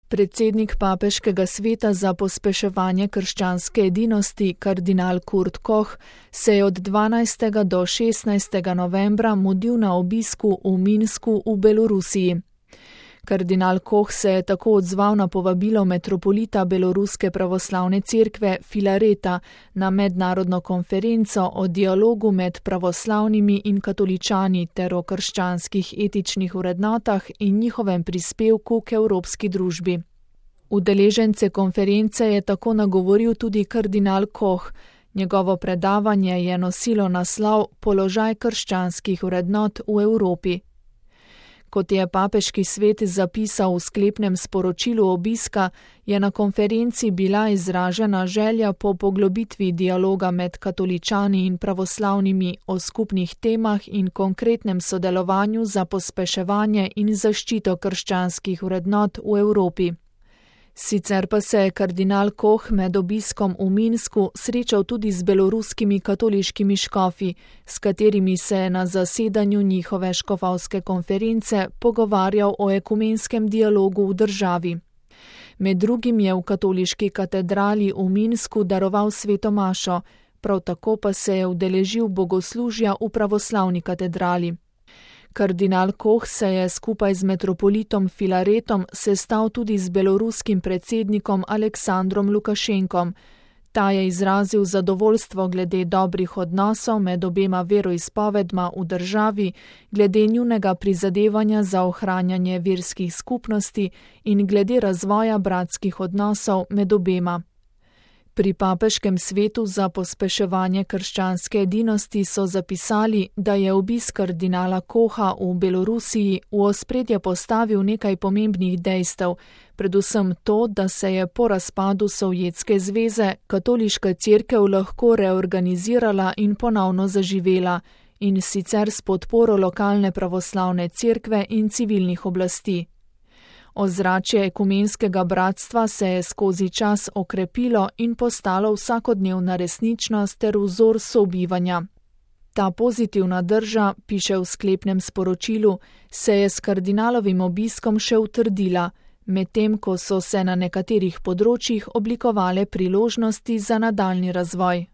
Predsednik papeškega sveta za pospeševanje krščanske edinosti, kardinal Kurt Koch, se je od 12. do 16. novembra mudil na obisku v Minsku v Belorusiji. Kardinal Koch se je tako odzval na povabilo metropolita Beloruske pravoslavne cerkve Filareta na mednarodno konferenco o dialogu med pravoslavnimi in katoličani ter o krščanskih etičnih vrednotah in njihovem prispevku k evropski družbi. Udeležence konference je tako nagovoril tudi kardinal Koch. Njegovo predavanje je nosilo naslov Položaj krščanskih vrednot v Evropi. Kot je papeški svet zapisal v sklepnem sporočilu obiska, je na konferenci bila izražena želja po poglobitvi dialoga med katoličani in pravoslavnimi o skupnih temah in konkretnem sodelovanju za pospeševanje in zaščito krščanskih vrednot v Evropi. Sicer pa se je kardinal Koch med obiskom v Minsku srečal tudi z beloruskimi katoliškimi škofi, s katerimi se je na zasedanju njihove škofovske konference pogovarjal o ekumenskem dialogu v državi. Med drugim je v katoliški katedrali v Minsku daroval sveto mašo, prav tako pa se je udeležil bogoslužja v pravoslavni katedrali. Kardinal Koch se je skupaj z metropolitom Filaretom sestal tudi z beloruskim predsednikom Aleksandrom Lukašenkom. Ta je izrazil zadovoljstvo glede dobrih odnosov med obema veroizpovedma v državi, glede njunega prizadevanja za ohranjanje verskih skupnosti in glede razvoja bratskih odnosov med obema. Pri papeškem svetu za pospeševanje krščanske edinosti so zapisali, da je obisk kardinala Kocha v Belorusiji v ospredje postavil nekaj pomembnih dejstev, predvsem to, da se je po razpadu Sovjetske zveze katoliška cerkev lahko reorganizirala in ponovno zaživela, in sicer s podporo lokalne pravoslavne cerkve in civilnih oblasti. Ozračje ekumenskega bratstva se je skozi čas okrepilo in postalo vsakodnevna resničnost ter vzor sobivanja. Ta pozitivna drža, piše v sklepnem sporočilu, se je s kardinalovim obiskom še utrdila, medtem ko so se na nekaterih področjih oblikovale priložnosti za nadaljnji razvoj.